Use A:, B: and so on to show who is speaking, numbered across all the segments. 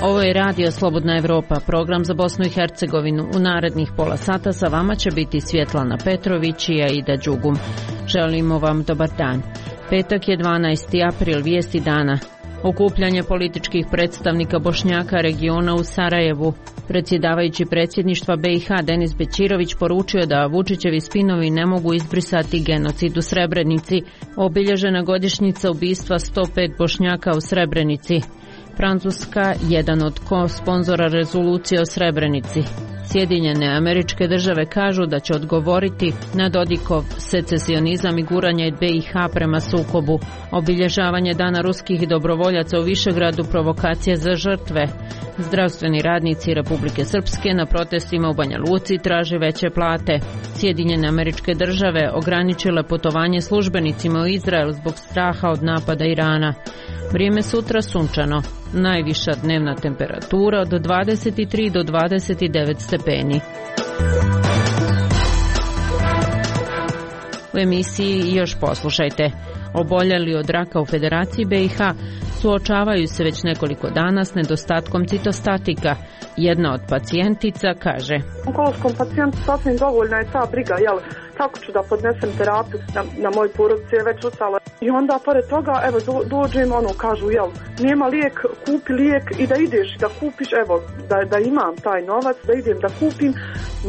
A: Ovo je Radio Slobodna Evropa, program za Bosnu i Hercegovinu. U narednih pola sata sa vama će biti Svjetlana Petrović i Aida Đugum. Želimo vam dobar dan. Petak je 12. april, vijesti dana. Okupljanje političkih predstavnika Bošnjaka regiona u Sarajevu. Predsjedavajući predsjedništva BiH Denis Bećirović poručio da Vučićevi spinovi ne mogu izbrisati genocid u Srebrenici. Obilježena godišnjica ubistva 105 Bošnjaka u Srebrenici. Francuska, jedan od sponzora rezolucije o Srebrenici. Sjedinjene Američke Države kažu da će odgovoriti na Dodikov secesionizam i guranje BiH prema sukobu. Obilježavanje Dana ruskih dobrovoljaca u Višegradu, provokacije za žrtve. Zdravstveni radnici Republike Srpske na protestima u Banja Luci traže veće plate. Sjedinjene Američke Države ograničile putovanje službenicima u Izrael zbog straha od napada Irana. Vrijeme sutra sunčano. Najviša dnevna temperatura od 23 do 29 stepeni. U emisiji još poslušajte. Oboljeli od raka u Federaciji BiH suočavaju se već nekoliko dana s nedostatkom citostatika. Jedna od pacijentica kaže:
B: onkološkom pacijentu sasvim dovoljna je ta briga, kako ću da podnesem terapiju na moj porodici je već ustala. I onda pored toga, evo, dođem, kažu, nema lijek, kupi lijek i da ideš da kupiš, evo, da imam taj novac, da idem da kupim,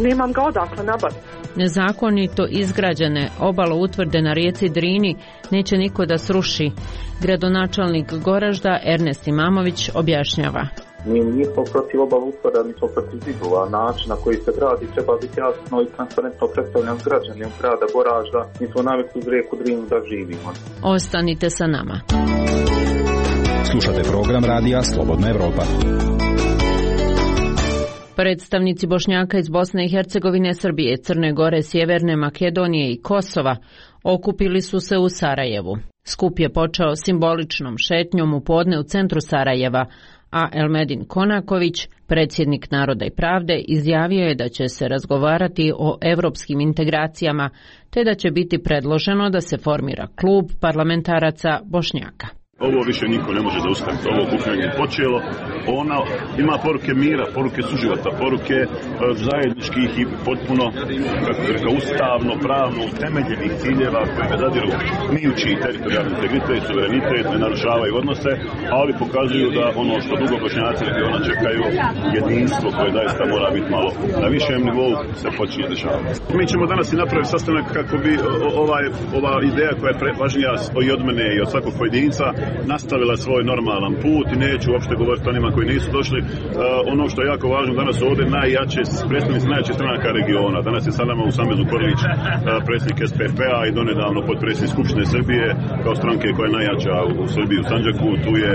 B: nemam ga odakle nabaviti.
A: Nezakonito izgrađene obaloutvrde na rijeci Drini neće niko da sruši. Gradonačelnik Goražda Ernest Imamović objašnjava:
C: mi nismo protiv obaloutvrda, mi smo protiv zidova. Način na koji se gradi treba biti jasno i transparentno predstavljen građanima grada Goražda. Mi smo navikli uz rijeku Drinu da živimo.
A: Ostanite sa nama.
D: Slušate program Radija Slobodna Evropa.
A: Predstavnici Bošnjaka iz Bosne i Hercegovine, Srbije, Crne Gore, Sjeverne Makedonije i Kosova okupili su se u Sarajevu. Skup je počeo simboličnom šetnjom u podne u centru Sarajeva, a Elmedin Konaković, predsjednik Naroda i pravde, izjavio je da će se razgovarati o evropskim integracijama, te da će biti predloženo da se formira klub parlamentaraca Bošnjaka.
E: Ovo više niko ne može zaustaviti. Ovo okupljanje je počelo. Ono ima poruke mira, poruke suživota, poruke zajedničkih i potpuno, kako bih rekao, ustavno, pravno utemeljenih ciljeva koje ne zadiru ni u čiji teritorijalni integritet, suverenitet, ne narušavaju odnose, ali pokazuju da ono što dugo Bošnjaci regiona čekaju, jedinstvo koje zaista mora biti malo na višem nivou, se počinje dešavati. Mi ćemo danas i napraviti sastanak kako bi ova ideja koja je važnija i od mene i od svakog pojedinca nastavila svoj normalan put i neću uopšte govoriti o onima koji nisu došli. Ono što je jako važno danas ovdje, predstavnici najjače stranaka regiona. Danas je sa nama u Samezu Korlić, predsjednik SPP-a i donedavno potpredsjednik Skupštine Srbije kao stranke koja je najjača u Srbiji u Sandžaku. Tu je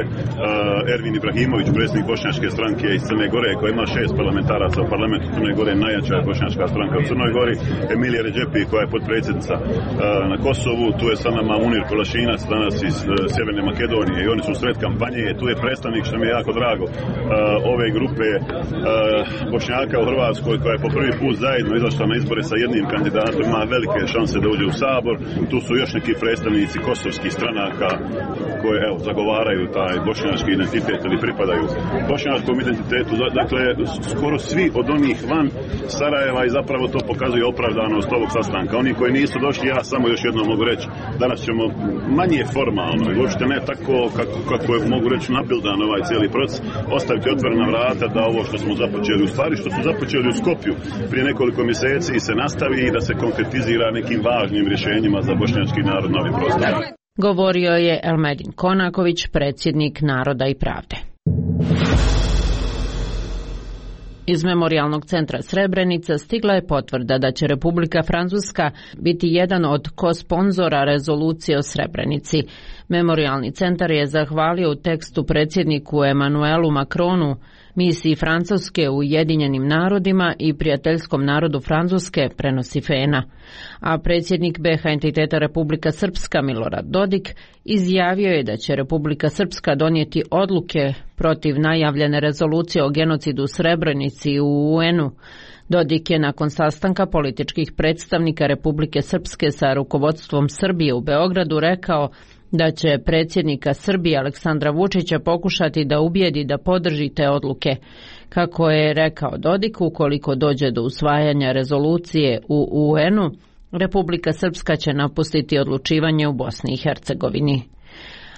E: Ervin Ibrahimović, predsjednik bošnjačke stranke iz Crne Gore koja ima 6 parlamentaraca u parlamentu Crne Gore, najjača bošnjačka stranka u Crnoj Gori. Emilija Redžepi koja je potpredsjednica na Kosovu. Tu je sa nama Munir Kolašinac danas iz Sjeverne Makedonije i oni su sred kampanje. Tu je predstavnik, što mi je jako drago, ove grupe Bošnjaka u Hrvatskoj koja je po prvi put zajedno izašla na izbore sa jednim kandidatom, ima velike šanse da uđe u Sabor. Tu su još neki predstavnici kosovskih stranaka koje zagovaraju taj bošnjački identitet ili pripadaju bošnjačkom identitetu. Dakle, skoro svi od onih van Sarajeva i zapravo to pokazuje opravdanost ovog sastanka. Oni koji nisu došli, ja samo još jednom mogu reći, danas ćemo manje formalno i uopšte ne tako kako je, mogu reći, nabildan ovaj cijeli proces, ostaviti otvorena vrata da ovo što smo započeli, u stvari što su započeli u Skopju prije nekoliko mjeseci se nastavi i da se konkretizira nekim važnim rješenjima za bošnjački narod na ovim prostorima.
A: Govorio je Elmedin Konaković, predsjednik Naroda i pravde. Iz Memorijalnog centra Srebrenica stigla je potvrda da će Republika Francuska biti jedan od kosponzora rezolucije o Srebrenici. Memorijalni centar je zahvalio u tekstu predsjedniku Emmanuelu Macronu, misiji Francuske u Ujedinjenim narodima i prijateljskom narodu Francuske, prenosi FENA. A predsjednik BiH entiteta Republika Srpska Milorad Dodik izjavio je da će Republika Srpska donijeti odluke protiv najavljene rezolucije o genocidu u Srebrenici u UN-u. Dodik je nakon sastanka političkih predstavnika Republike Srpske sa rukovodstvom Srbije u Beogradu rekao da će predsjednika Srbije Aleksandra Vučića pokušati da ubijedi da podrži te odluke. Kako je rekao Dodik, ukoliko dođe do usvajanja rezolucije u UN-u, Republika Srpska će napustiti odlučivanje u Bosni i Hercegovini.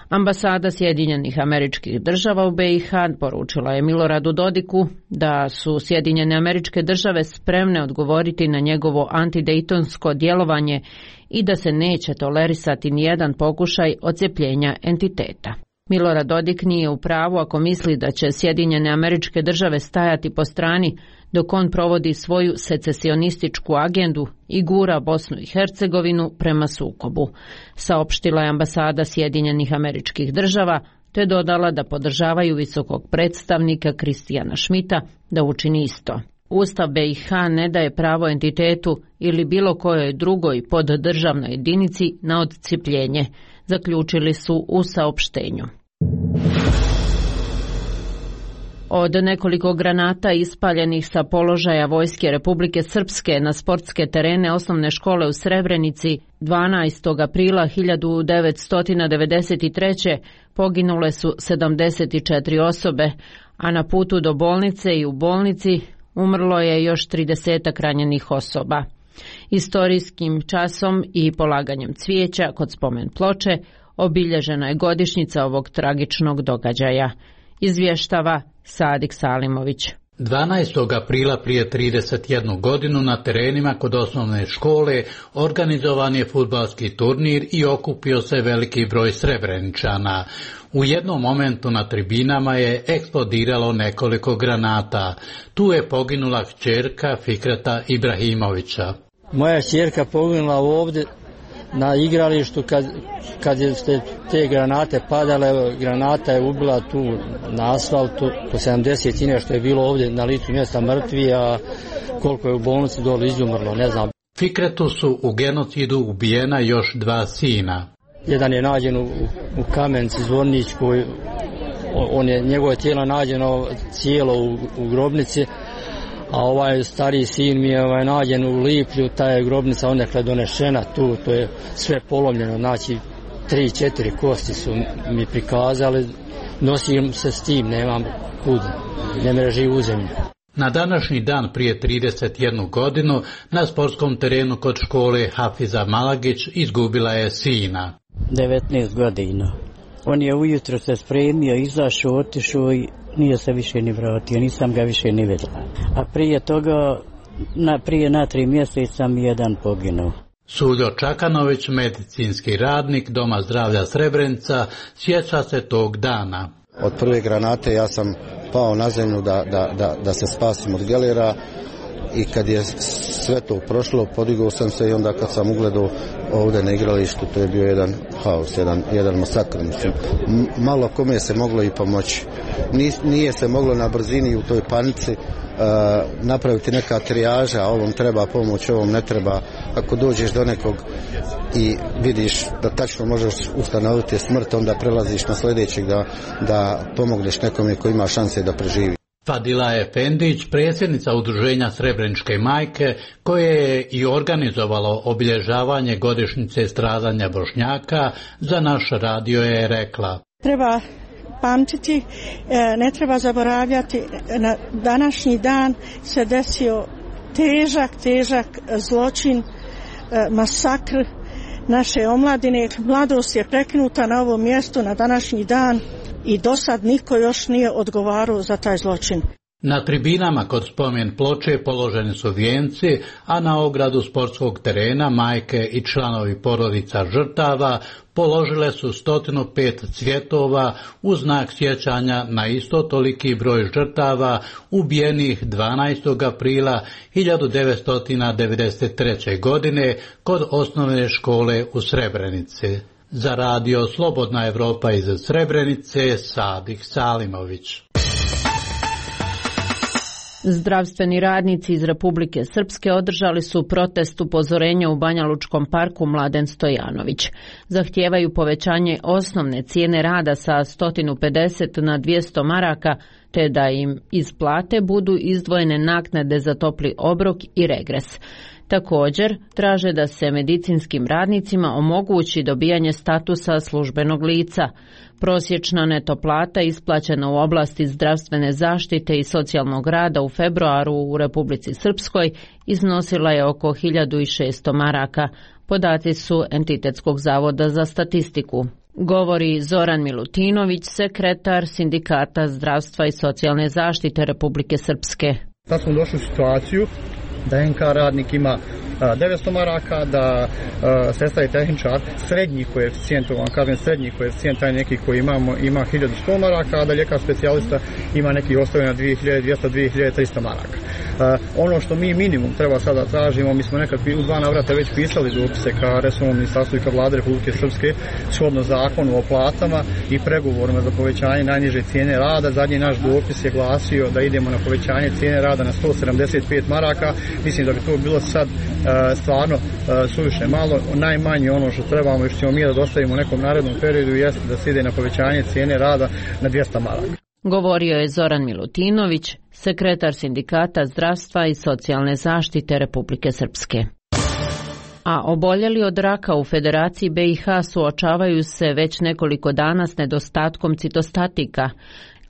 A: Ambasada Sjedinjenih Američkih Država u BiH poručila je Miloradu Dodiku da su Sjedinjene Američke Države spremne odgovoriti na njegovo antidejtonsko djelovanje i da se neće tolerisati nijedan pokušaj odcepljenja entiteta. Milorad Dodik nije u pravu ako misli da će Sjedinjene Američke Države stajati po strani dok on provodi svoju secesionističku agendu i gura Bosnu i Hercegovinu prema sukobu, saopštila je ambasada Sjedinjenih Američkih Država, te dodala da podržavaju visokog predstavnika Kristijana Šmita da učini isto. Ustav BiH ne daje pravo entitetu ili bilo kojoj drugoj poddržavnoj jedinici na odcepljenje, zaključili su u saopštenju. Od nekoliko granata ispaljenih sa položaja Vojske Republike Srpske na sportske terene osnovne škole u Srebrenici 12. aprila 1993. poginule su 74 osobe, a na putu do bolnice i u bolnici umrlo je još 30 ranjenih osoba. Istorijskim časom i polaganjem cvijeća kod spomen ploče obilježena je godišnjica ovog tragičnog događaja, izvještava Sadik Salimović.
F: 12. aprila prije 31 godinu na terenima kod osnovne škole organizovan je fudbalski turnir i okupio se veliki broj Srebreničana. U jednom momentu na tribinama je eksplodiralo nekoliko granata. Tu je poginula kćerka Fikreta Ibrahimovića.
G: Moja kćerka poginula ovdje na igralištu kad je te granate padale, granata je ubila tu na asfaltu, po 70 nešto je bilo ovdje na licu mjesta mrtvi, a koliko je u bolnici dole izumrlo, ne znam.
F: Fikretu su u genocidu ubijena još 2 sina.
G: Jedan je nađen u Kamenici Zvorničkoj, njegovo tijelo nađeno cijelo u grobnici, a ovaj stariji sin mi je nađen u Liplju, ta je grobnica odnekle donešena tu, to je sve polomljeno, znači 3-4 kosti su mi prikazali, nosim se s tim, nemam kud, ne mreži u zemlju.
F: Na današnji dan prije 31 godinu na sportskom terenu kod škole Hafiza Malagić izgubila je sina.
H: 19 godina. On je ujutro se spremio, izašao, otišao i nije se više ni vratio, nisam ga više ni vidjela. A prije toga, prije na 3 mjeseca mi jedan poginuo.
F: Suljo Čakanović, medicinski radnik Doma zdravlja Srebrenica, sjeća se tog dana.
I: Od prve granate ja sam pao na zemlju da se spasim od gelera i kad je sve to prošlo, podigao sam se i onda kad sam ugledao ovdje na igralištu, to je bio jedan haos, jedan masakr. Malo kome se moglo i pomoći. Nije se moglo na brzini u toj panici napraviti neka trijaža, a ovom treba pomoć, ovom ne treba. Ako dođeš do nekog i vidiš da tačno možeš ustanoviti smrt, onda prelaziš na sljedećeg da pomogneš nekome koji ima šanse da preživi.
F: Fadila Efendić, predsjednica udruženja Srebreničke majke, koje je i organizovalo obilježavanje godišnjice stradanja Bošnjaka, za naš radio je rekla:
J: treba pamtiti, ne treba zaboravljati, na današnji dan se desio težak zločin, masakr naše omladine. Mladost je prekinuta na ovom mjestu na današnji dan i do sad niko još nije odgovarao za taj zločin.
F: Na tribinama kod spomen ploče položeni su vijenci, a na ogradu sportskog terena majke i članovi porodica žrtava položile su 105 cvjetova u znak sjećanja na isto toliki broj žrtava ubijenih 12. aprila 1993. godine kod osnovne škole u Srebrenici. Za radio Slobodna Evropa iz Srebrenice, Sadik Salimović.
A: Zdravstveni radnici iz Republike Srpske održali su protest upozorenja u Banjalučkom parku Mladen Stojanović. Zahtijevaju povećanje osnovne cijene rada sa 150 na 200 maraka, te da im iz plate budu izdvojene naknade za topli obrok i regres. Također, traže da se medicinskim radnicima omogući dobijanje statusa službenog lica. Prosječna neto plata isplaćena u oblasti zdravstvene zaštite i socijalnog rada u februaru u Republici Srpskoj iznosila je oko 1600 maraka. Podaci su Entitetskog zavoda za statistiku. Govori Zoran Milutinović, sekretar Sindikata zdravstva i socijalne zaštite Republike Srpske.
K: Sad smo došli u situaciju da NK radnik ima 900 maraka, da sestra i tehničar srednji koeficijent, srednji koeficijent, taj neki koji imamo, ima 1100 maraka, a da ljekar specijalista ima neki ostavljen na 2200-2300 maraka. Ono što mi minimum treba sada tražimo, mi smo nekad u 2 navrata već pisali dopise ka resornom ministarstvu i ka Vlade Republike Srpske shodno zakonu o platama i pregovorima za povećanje najniže cijene rada. Zadnji naš dopis je glasio da idemo na povećanje cijene rada na 175 maraka. Mislim da bi to bilo sad stvarno suviše malo. Najmanje ono što trebamo i što ćemo mi da dostavimo u nekom narednom periodu jeste da se ide na povećanje cijene rada na 200 maraka.
A: Govorio je Zoran Milutinović, sekretar Sindikata zdravstva i socijalne zaštite Republike Srpske. A oboljeli od raka u Federaciji BiH suočavaju se već nekoliko dana s nedostatkom citostatika.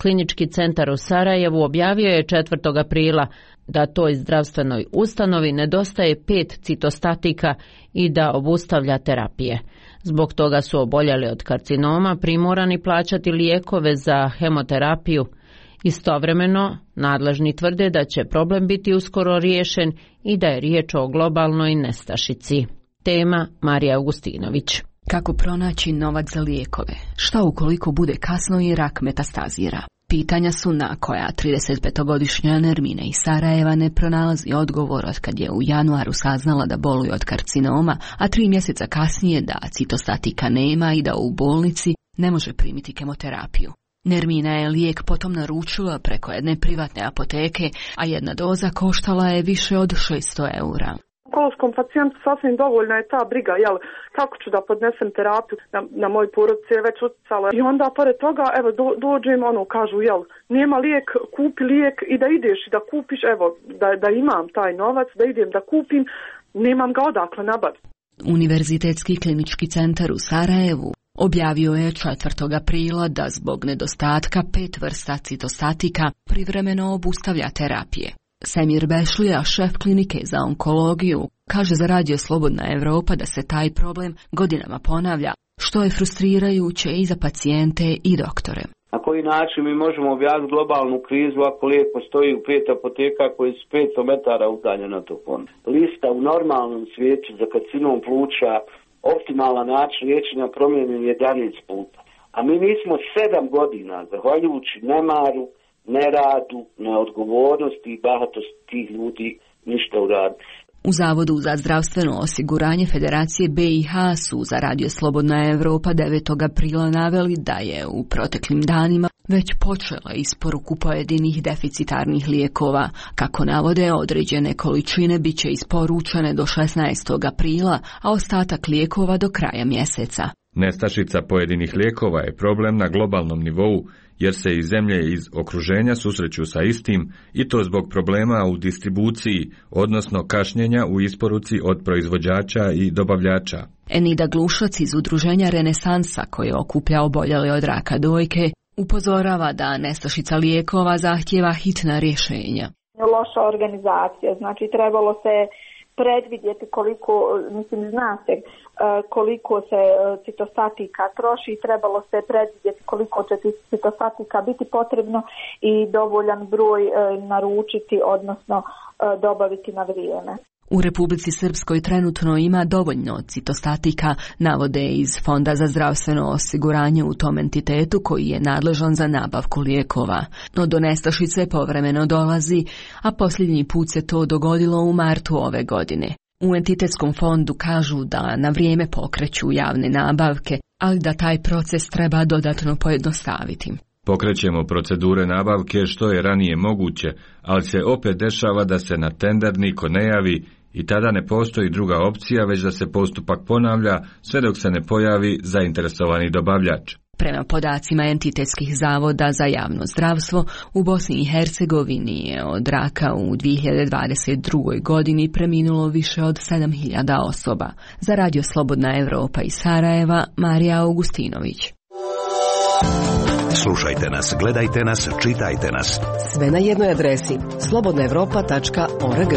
A: Klinički centar u Sarajevu objavio je 4. aprila da toj zdravstvenoj ustanovi nedostaje 5 citostatika i da obustavlja terapije. Zbog toga su oboljeli od karcinoma primorani plaćati lijekove za hemoterapiju. Istovremeno, nadležni tvrde da će problem biti uskoro riješen i da je riječ o globalnoj nestašici. Tema Marija Augustinović.
L: Kako pronaći novac za lijekove? Šta ukoliko bude kasno i rak metastazira? Pitanja su na koja 35-godišnja Nermina iz Sarajeva ne pronalazi odgovor od kad je u januaru saznala da boluje od karcinoma, a 3 mjeseca kasnije da citostatika nema i da u bolnici ne može primiti kemoterapiju. Nermina je lijek potom naručila preko jedne privatne apoteke, a jedna doza koštala je više od 600 eura.
B: Onkološkom pacijentu sasvim dovoljna je ta briga, kako ću da podnesem terapiju, na moj porodici je već utjecala. I onda pored toga, dođem, kažu, nema lijek, kupi lijek i da ideš i da kupiš, da imam taj novac, da idem da kupim, nemam ga odakle nabaviti.
L: Univerzitetski klinički centar u Sarajevu objavio je 4. aprila da zbog nedostatka 5 vrsta citostatika privremeno obustavlja terapije. Semir Bešlija, šef klinike za onkologiju, kaže za Radio Slobodna Evropa da se taj problem godinama ponavlja, što je frustrirajuće i za pacijente i doktore.
M: Na koji način mi možemo objaviti globalnu krizu ako lijek postoji u 5 apoteka koji su 500 metara udaljeni od tog fonda? Lista u normalnom svijetu za karcinom pluća, optimalan način liječenja promijenjen 11 puta. A mi nismo 7 godina, zahvaljujući nemaru, neradu, neodgovornosti i bahatosti tih ljudi ništa uraditi.
L: U Zavodu za zdravstveno osiguranje Federacije BiH su za Radio Slobodna Evropa 9. aprila naveli da je u proteklim danima već počela isporuku pojedinih deficitarnih lijekova. Kako navode, određene količine bit će isporučene do 16. aprila, a ostatak lijekova do kraja mjeseca.
N: Nestašica pojedinih lijekova je problem na globalnom nivou, jer se i zemlje iz okruženja susreću sa istim, i to zbog problema u distribuciji, odnosno kašnjenja u isporuci od proizvođača i dobavljača.
L: Enida Glušac iz udruženja Renesansa, koje okuplja oboljele od raka dojke, upozorava da nestašica lijekova zahtijeva hitna rješenja.
O: Loša organizacija, znači trebalo se predvidjeti koliko, zna se koliko se citostatika troši i trebalo se predvidjeti koliko će citostatika biti potrebno i dovoljan broj naručiti, odnosno dobaviti na vrijeme.
L: U Republici Srpskoj trenutno ima dovoljno citostatika, navode iz Fonda za zdravstveno osiguranje u tom entitetu koji je nadležan za nabavku lijekova. No do nestašice povremeno dolazi, a posljednji put se to dogodilo u martu ove godine. U entitetskom fondu kažu da na vrijeme pokreću javne nabavke, ali da taj proces treba dodatno pojednostaviti.
N: Pokrećemo procedure nabavke što je ranije moguće, ali se opet dešava da se na tender niko ne javi i tada ne postoji druga opcija, već da se postupak ponavlja sve dok se ne pojavi zainteresovani dobavljač.
L: Prema podacima entitetskih zavoda za javno zdravstvo, u Bosni i Hercegovini je od raka u 2022. godini preminulo više od 7.000 osoba. Za Radio Slobodna Evropa iz Sarajeva, Marija Augustinović.
P: Slušajte nas, gledajte nas, čitajte nas.
Q: Sve na jednoj adresi slobodnaevropa.org.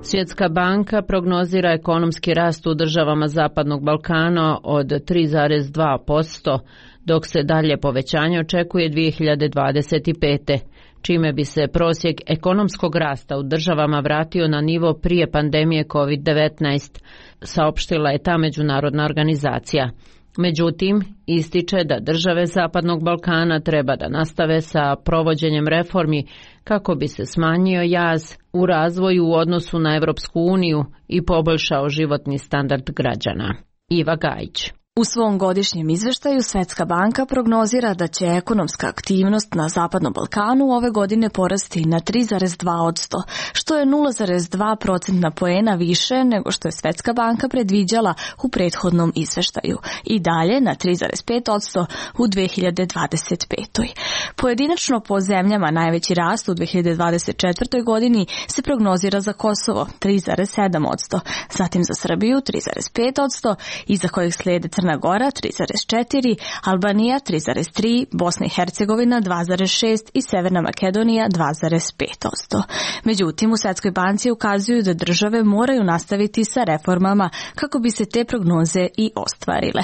A: Svjetska banka prognozira ekonomski rast u državama Zapadnog Balkana od 3,2%, dok se dalje povećanje očekuje 2025. čime bi se prosjek ekonomskog rasta u državama vratio na nivo prije pandemije COVID-19, saopštila je ta međunarodna organizacija. Međutim, ističe da države Zapadnog Balkana treba da nastave sa provođenjem reformi kako bi se smanjio jaz u razvoju u odnosu na Evropsku uniju i poboljšao životni standard građana. Iva Gajić.
R: U svom godišnjem izveštaju Svjetska banka prognozira da će ekonomska aktivnost na Zapadnom Balkanu ove godine porasti na 3,2%, što je 0,2% poena više nego što je Svjetska banka predviđala u prethodnom izveštaju i dalje na 3,5% u 2025. Pojedinačno po zemljama najveći rast u 2024. godini se prognozira za Kosovo 3,7%, zatim za Srbiju 3,5%, iza kojih slijede Crna Gora 3,4%, Albanija 3,3%, Bosna i Hercegovina 2,6% i Severna Makedonija 2,5%. Međutim, u Svjetskoj banci ukazuju da države moraju nastaviti sa reformama kako bi se te prognoze i ostvarile.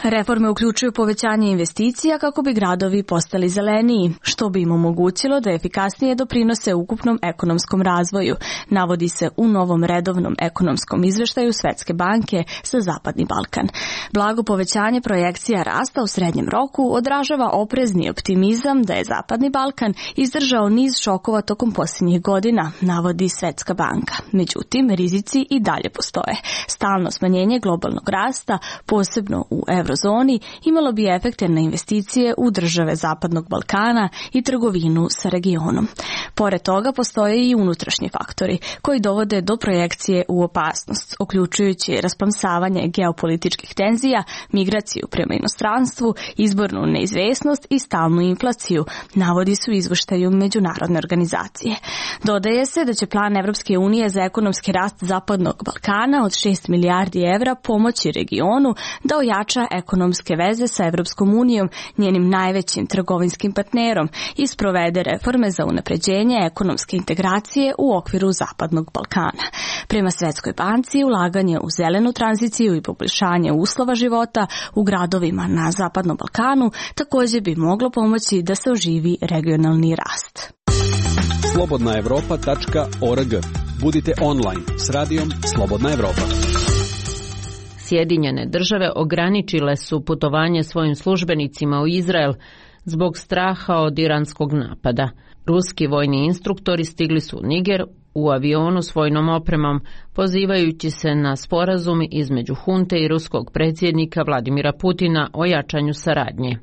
R: Reforme uključuju povećanje investicija kako bi gradovi postali zeleniji, što bi im omogućilo da efikasnije doprinose ukupnom ekonomskom razvoju, navodi se u novom redovnom ekonomskom izveštaju Svjetske banke za Zapadni Balkan. Blago povećanje projekcija rasta u srednjem roku odražava oprezni optimizam da je Zapadni Balkan izdržao niz šokova tokom posljednjih godina, navodi Svjetska banka. Međutim, rizici i dalje postoje. Stalno smanjenje globalnog rasta, posebno u eurozoni, imalo bi efekte na investicije u države Zapadnog Balkana i trgovinu sa regionom. Pored toga postoje i unutrašnji faktori koji dovode do projekcije u opasnost, uključujući rasplamsavanje geopolitičkih tenzija, migraciju prema inostranstvu, izbornu neizvesnost i stalnu inflaciju, navodi su u izveštaju međunarodne organizacije. Dodaje se da će plan Evropske unije za ekonomski rast Zapadnog Balkana od 6 milijardi evra pomoći regionu da ojača ekonomske veze sa Evropskom unijom, njenim najvećim trgovinskim partnerom, i sprovede reforme za unapređenje ekonomske integracije u okviru Zapadnog Balkana. Prema Svjetskoj banci, ulaganje u zelenu tranziciju i poboljšanje uslova života u gradovima na Zapadnom Balkanu također bi moglo pomoći da se oživi regionalni rast.
D: slobodnaevropa.org. Budite online s radijom Slobodna Evropa.
A: Sjedinjene države ograničile su putovanje svojim službenicima u Izrael zbog straha od iranskog napada. Ruski vojni instruktori stigli su u Niger u avionu s vojnom opremom, pozivajući se na sporazum između hunte i ruskog predsjednika Vladimira Putina o jačanju saradnje.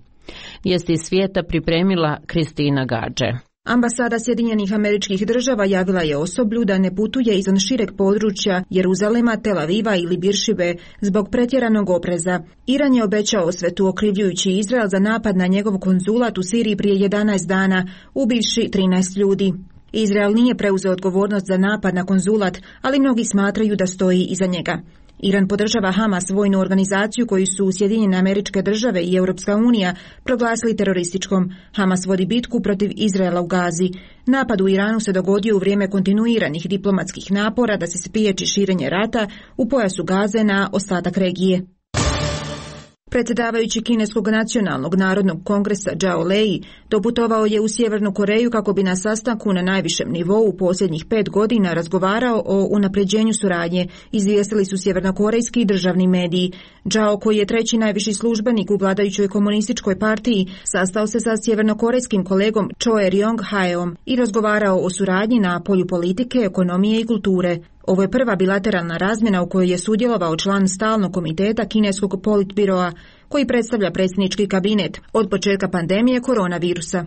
A: Vijesti svijeta pripremila Kristina Gađe.
S: Ambasada Sjedinjenih Američkih Država javila je osoblju da ne putuje izvan šireg područja Jeruzalema, Tel Aviva ili Biršibe zbog pretjeranog opreza. Iran je obećao osvetu okrivljujući Izrael za napad na njegov konzulat u Siriji prije 11 dana, ubivši 13 ljudi. Izrael nije preuzeo odgovornost za napad na konzulat, ali mnogi smatraju da stoji iza njega. Iran podržava Hamas, vojnu organizaciju koju su Sjedinjene Američke Države i Europska unija proglasili terorističkom. Hamas vodi bitku protiv Izraela u Gazi. Napad u Iranu se dogodio u vrijeme kontinuiranih diplomatskih napora da se spriječi širenje rata u pojasu Gaze na ostatak regije. Predsjedavajući Kineskog nacionalnog narodnog kongresa Zhao Lei doputovao je u Sjevernu Koreju kako bi na sastanku na najvišem nivou u posljednjih 5 godina razgovarao o unapređenju suradnje, izvijestili su sjevernokorejski državni mediji. Zhao, koji je treći najviši službenik u vladajućoj komunističkoj partiji, sastao se sa sjevernokorejskim kolegom Choe Ryong-haeom i razgovarao o suradnji na polju politike, ekonomije i kulture. Ovo je prva bilateralna razmjena u kojoj je sudjelovao član stalnog komiteta kineskog politbiroa koji predstavlja predsjednički kabinet od početka pandemije koronavirusa.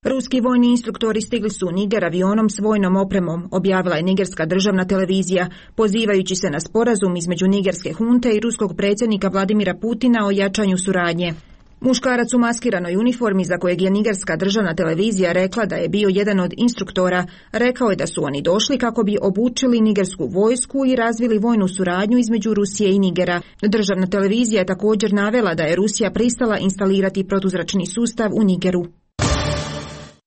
S: Ruski vojni instruktori stigli su u Niger avionom s vojnom opremom, objavila je nigerska državna televizija, pozivajući se na sporazum između nigerske hunte i ruskog predsjednika Vladimira Putina o jačanju suradnje. Muškarac u maskiranoj uniformi, za kojeg je nigerska državna televizija rekla da je bio jedan od instruktora, rekao je da su oni došli kako bi obučili nigersku vojsku i razvili vojnu suradnju između Rusije i Nigera. Državna televizija je također navela da je Rusija pristala instalirati protuzračni sustav u Nigeru.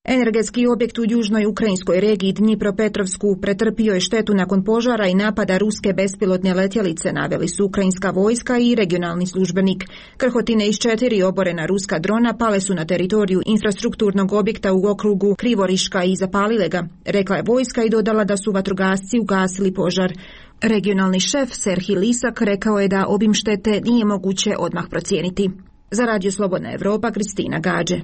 S: Energetski objekt u južnoj ukrajinskoj regiji Dnjipropetrovsku pretrpio je štetu nakon požara i napada ruske bespilotne letjelice, naveli su ukrajinska vojska i regionalni službenik. Krhotine iz 4 oborena ruska drona pale su na teritoriju infrastrukturnog objekta u okrugu Krivoriška i zapalile ga, rekla je vojska i dodala da su vatrogasci ugasili požar. Regionalni šef Serhij Lisak rekao je da obim štete nije moguće odmah procijeniti. Za Radio Slobodna Evropa, Kristina Gađe.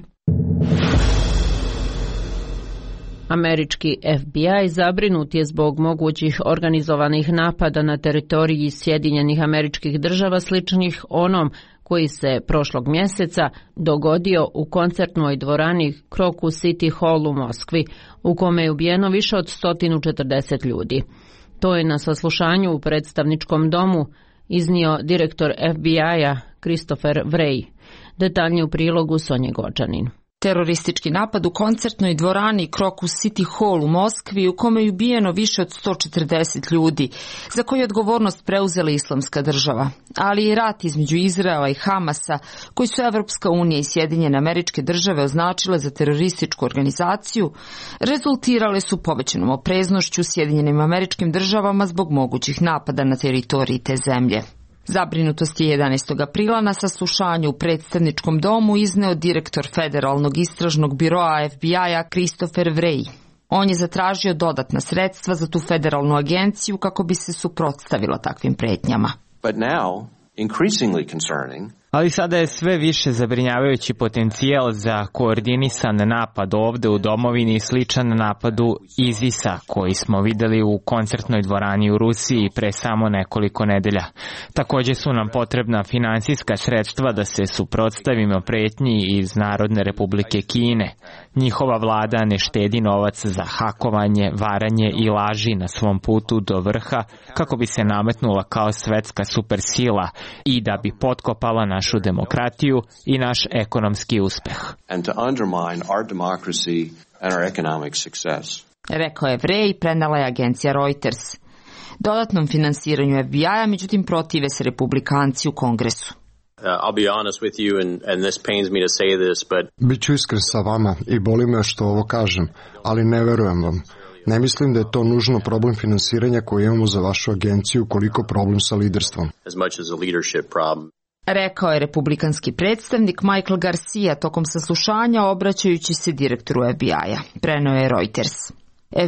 A: Američki FBI zabrinut je zbog mogućih organizovanih napada na teritoriji Sjedinjenih Američkih Država sličnih onom koji se prošlog mjeseca dogodio u koncertnoj dvorani Crocus City Hall u Moskvi, u kome je ubijeno više od 140 ljudi. To je na saslušanju u predstavničkom domu iznio direktor FBI-a Christopher Wray. Detaljnije u prilogu Sonje Gođanin.
T: Teroristički napad u koncertnoj dvorani Crocus City Hall u Moskvi, u kome je ubijeno više od 140 ljudi, za koju je odgovornost preuzela Islamska država, ali i rat između Izraela i Hamasa, koji su Evropska unija i Sjedinjene Američke Države označile za terorističku organizaciju, rezultirale su povećanom opreznošću Sjedinjenim Američkim Državama zbog mogućih napada na teritoriji te zemlje. Zabrinutost je 11. aprila na saslušanju u predstavničkom domu izneo direktor Federalnog istražnog biroa FBI-a Christopher Wray. On je zatražio dodatna sredstva za tu federalnu agenciju kako bi se suprotstavila takvim pretnjama.
U: But now, increasingly concerning,
V: ali sada je sve više zabrinjavajući potencijal za koordinisan napad ovde u domovini sličan napadu ISIS-a koji smo videli u koncertnoj dvorani u Rusiji pre samo nekoliko nedelja. Također su nam potrebna finansijska sredstva da se suprotstavimo pretnji iz Narodne Republike Kine. Njihova vlada ne štedi novac za hakovanje, varanje i laži na svom putu do vrha kako bi se nametnula kao svetska supersila i da bi potkopala našu demokratiju i naš ekonomski uspeh.
T: Rekao je Wray, prenela je agencija Reuters. Dodatnom finansiranju FBI-a, međutim, protive se republikanci u Kongresu.
W: I'll be honest with you, and this pains me to say this, but...
X: Biću iskren sa vama i boli me što ovo kažem, ali ne verujem vam. Ne mislim da je to nužno problem finansiranja koji imamo za vašu agenciju, koliko problem sa liderstvom.
W: As much as a leadership problem.
T: Rekao je republikanski predstavnik Michael Garcia tokom saslušanja obraćajući se direktoru FBI-a. Preneo je Reuters.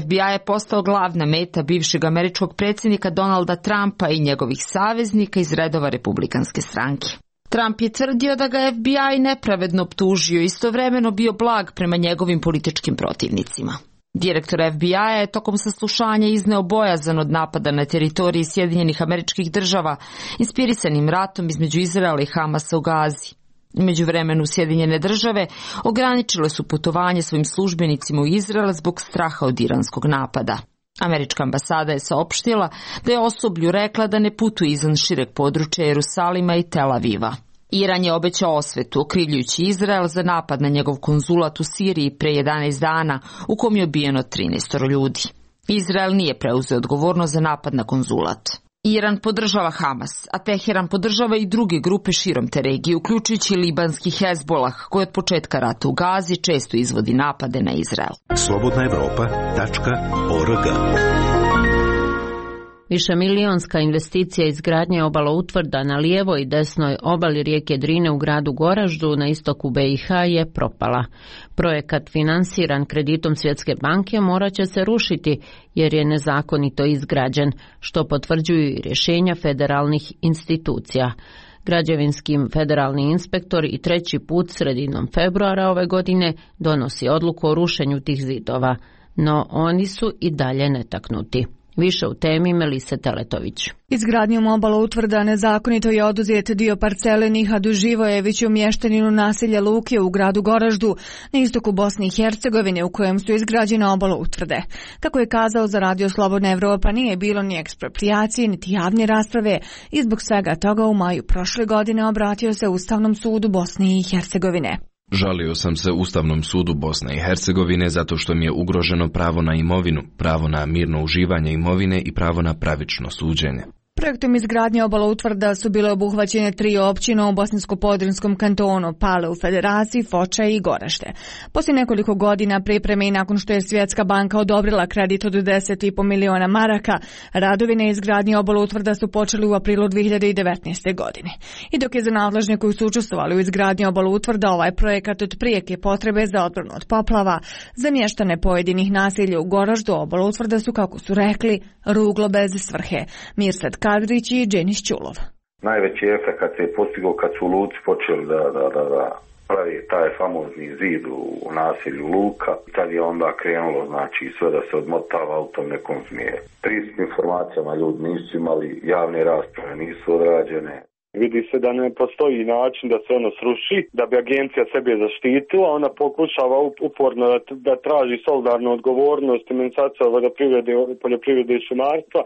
T: FBI je postao glavna meta bivšeg američkog predsjednika Donalda Trumpa i njegovih saveznika iz redova republikanske stranke. Trump je tvrdio da ga FBI nepravedno optužio, istovremeno bio blag prema njegovim političkim protivnicima. Direktor FBI-a je tokom saslušanja izneo bojazan od napada na teritoriji Sjedinjenih Američkih Država, inspirisanim ratom između Izraela i Hamasa u Gazi. U međuvremenu Sjedinjene Države ograničile su putovanje svojim službenicima u Izrael zbog straha od iranskog napada. Američka ambasada je saopštila da je osoblju rekla da ne putuje izvan šireg područja Jerusalima i Tel Aviva. Iran je obećao osvetu, okrivljujući Izrael za napad na njegov konzulat u Siriji pre 11 dana, u kom je ubijeno 13 ljudi. Izrael nije preuzeo odgovornost za napad na konzulat. Iran podržava Hamas, a Teheran podržava i druge grupe širom te regije, uključujući libanski Hezbolah, koji od početka rata u Gazi često izvodi napade na Izrael.
P: slobodnaevropa.org.
A: Višemilionska investicija izgradnje obaloutvrda na lijevoj i desnoj obali rijeke Drine u gradu Goraždu na istoku BiH je propala. Projekat finansiran kreditom Svjetske banke morat će se rušiti jer je nezakonito izgrađen, što potvrđuju i rješenja federalnih institucija. Građevinski federalni inspektor i treći put sredinom februara ove godine donosi odluku o rušenju tih zidova, no oni su i dalje netaknuti. Više u temi Melise Teletović.
C: Izgradnjom obala utvrda nezakonito je oduzet dio parcele Nihadu Živojeviću, mještaninu naselja Luke u gradu Goraždu na istoku Bosne i Hercegovine, u kojem su izgrađene obala utvrde. Kako je kazao za Radio Slobodna Evropa, nije bilo ni eksproprijacije, niti javne rasprave i zbog svega toga u maju prošle godine obratio se Ustavnom sudu Bosne i Hercegovine.
E: Žalio sam se Ustavnom sudu Bosne i Hercegovine zato što mi je ugroženo pravo na imovinu, pravo na mirno uživanje imovine i pravo na pravično suđenje.
C: Projektom izgradnje obala utvrda su bile obuhvaćene 3 općine u Bosansko-Podrinjskom kantonu, Pale u Federaciji, Foča i Goražde. Poslije nekoliko godina pripreme i nakon što je Svjetska banka odobrila kredit od 10,5 miliona maraka, radovi na izgradnji obala utvrda su počeli u aprilu 2019. godine. I dok je za nadležne koji su učestvovali u izgradnji obala utvrda ovaj projekat od prijeke potrebe za odbranu od poplava, za mještane pojedinih naselja u Goraždu obala utvrda su, kako su rekli, ruglo bez svrhe. Mirsad Kadrić i Dženis Ćulov.
G: Najveći efekt se je postigao kad su Luci počeli da pravi taj famozni zid u naselju Luka. Tad je onda krenulo, znači, sve da se odmotava u tom nekom smjeru. Pristup informacijama ljudi nisu imali, javne rasprave nisu odrađene.
H: Vidi se da ne postoji način da se ono sruši, da bi agencija sebe zaštitila. Ona pokušava uporno da traži solidarnu odgovornost Ministarstva poljoprivrede i šumarstva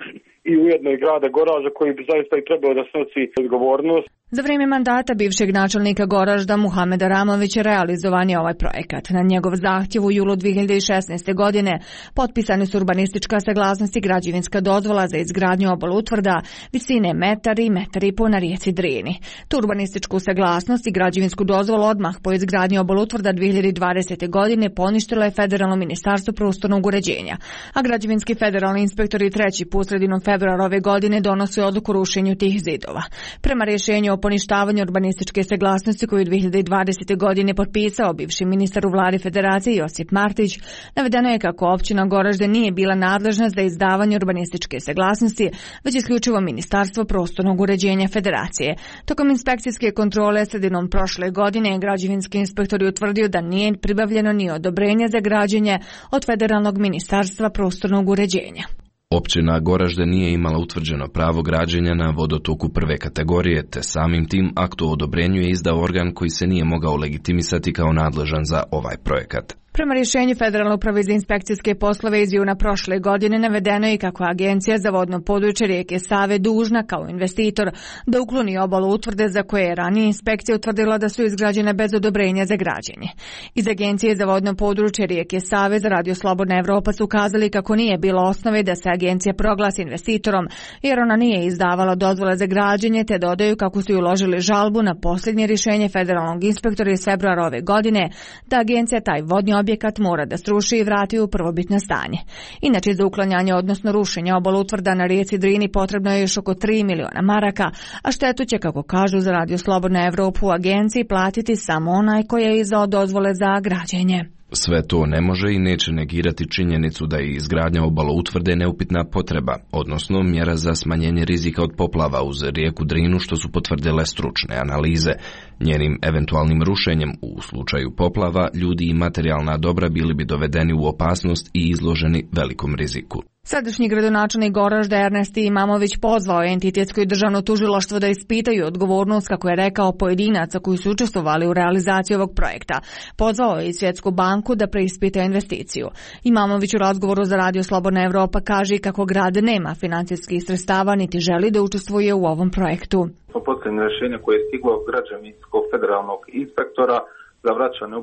H: i ujedno i grada Goražda, koji bi zaista i trebao da snosi odgovornost.
C: Za vrijeme mandata bivšeg načelnika Goražda Muhameda Ramovića realizovan je ovaj projekat. Na njegov zahtjev u julu 2016. godine potpisane su urbanistička saglasnost i građevinska dozvola za izgradnju obala utvrda visine 1,5 m na rijeci Drini. Tu urbanističku saglasnost i građevinsku dozvolu odmah po izgradnji obala utvrda 2020. godine poništilo je Federalno ministarstvo prostornog uređenja, a građevinski federalni inspektori treći put sredinom februara ove godine donose odluku o rušenju tih zidova. Prema rješenju o poništavanju urbanističke saglasnosti koju 2020. godine potpisao bivši ministar u vladi Federacije Josip Martić, navedeno je kako općina Goražde nije bila nadležna za izdavanje urbanističke saglasnosti, već isključivo Ministarstvo prostornog uređenja Federacije. Tokom inspekcijske kontrole sredinom prošle godine građevinski inspektor je utvrdio da nije pribavljeno ni odobrenje za građenje od Federalnog ministarstva prostornog uređenja.
E: Općina Goražde nije imala utvrđeno pravo građenja na vodotoku prve kategorije, te samim tim akt o odobrenju je izdao organ koji se nije mogao legitimisati kao nadležan za ovaj projekat.
C: Prema rješenju Federalne uprave za inspekcijske poslove iz juna prošle godine navedeno je kako Agencija za vodno područje rijeke Save dužna kao investitor da ukloni obalu utvrde za koje je ranije inspekcija utvrdila da su izgrađene bez odobrenja za građenje. Iz Agencije za vodno područje rijeke Save za Radio Slobodna Evropa su ukazali kako nije bilo osnove da se agencija proglasi investitorom jer ona nije izdavala dozvole za građenje, te dodaju kako su uložili žalbu na posljednje rješenje federalnog inspektora iz februara ove godine da agencija taj vodni objekat mora da sruši i vrati u prvobitno stanje. Inače, za uklanjanje, odnosno rušenje obala utvrda na rijeci Drini potrebno je još oko 3 miliona maraka, a štetu će, kako kažu za Radio Slobodna Evropu, u agenciji platiti samo onaj koji je izdao dozvole za građenje.
E: Sve to ne može i neće negirati činjenicu da je izgradnja obala utvrde neupitna potreba, odnosno mjera za smanjenje rizika od poplava uz rijeku Drinu, što su potvrdile stručne analize. Njenim eventualnim rušenjem u slučaju poplava ljudi i materijalna dobra bili bi dovedeni u opasnost i izloženi velikom riziku.
C: Sadašnji gradonačelnik Goražda Ernest Imamović pozvao je entitetsko i državno tužilaštvo da ispitaju odgovornost, kako je rekao, pojedinaca koji su učestvovali u realizaciji ovog projekta. Pozvao je i Svjetsku banku da preispita investiciju. Imamović u razgovoru za Radio Slobodna Evropa kaže kako grad nema financijskih sredstava niti želi da učestvuje u ovom projektu.
Y: Posljednje rješenje koje je stiglo od građevinskog federalnog inspektora za vraćanje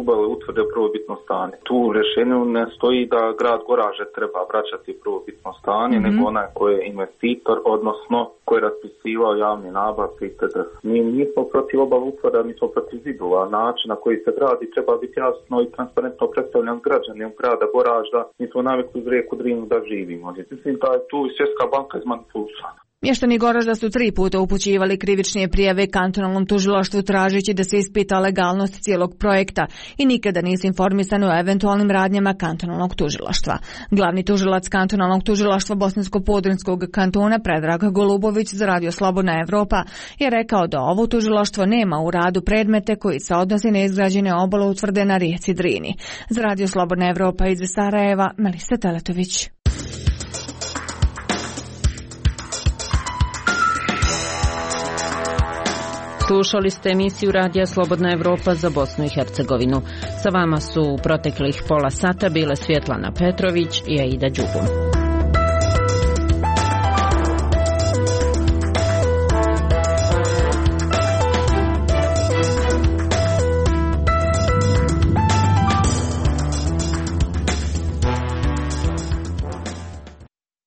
Y: obale utvrde u prvobitno stanje. Tu u rješenju ne stoji da grad Goražde treba vraćati prvobitno stanje, nego onaj koji je investitor, odnosno koji je raspisivao javne nabavke itd. Mi nismo protiv obale utvrda, mi smo protiv zidova. Način na koji se gradi treba biti jasno i transparentno predstavljan građanima grada Goražda. Mi smo navikli uz rijeku Drinu da živimo. Mislim da je tu i Svjetska banka izmanipulisana.
C: Mještani Goražda su 3 puta upućivali krivične prijave kantonalnom tužilaštvu tražeći da se ispita legalnost cijelog projekta i nikada nisu informisani o eventualnim radnjama kantonalnog tužilaštva. Glavni tužilac kantonalnog tužilaštva Bosansko-Podrinjskog kantona Predrag Golubović za Radio Slobodna Evropa je rekao da ovo tužilaštvo nema u radu predmete koji se odnose na izgrađene obale utvrde na rijeci Drini. Za Radio Slobodna Evropa iz Sarajeva, Melisa Teletović.
A: Slušali ste emisiju Radija Slobodna Evropa za Bosnu i Hercegovinu. Sa vama su u proteklih pola sata bile Svjetlana Petrović i Aida Đugum.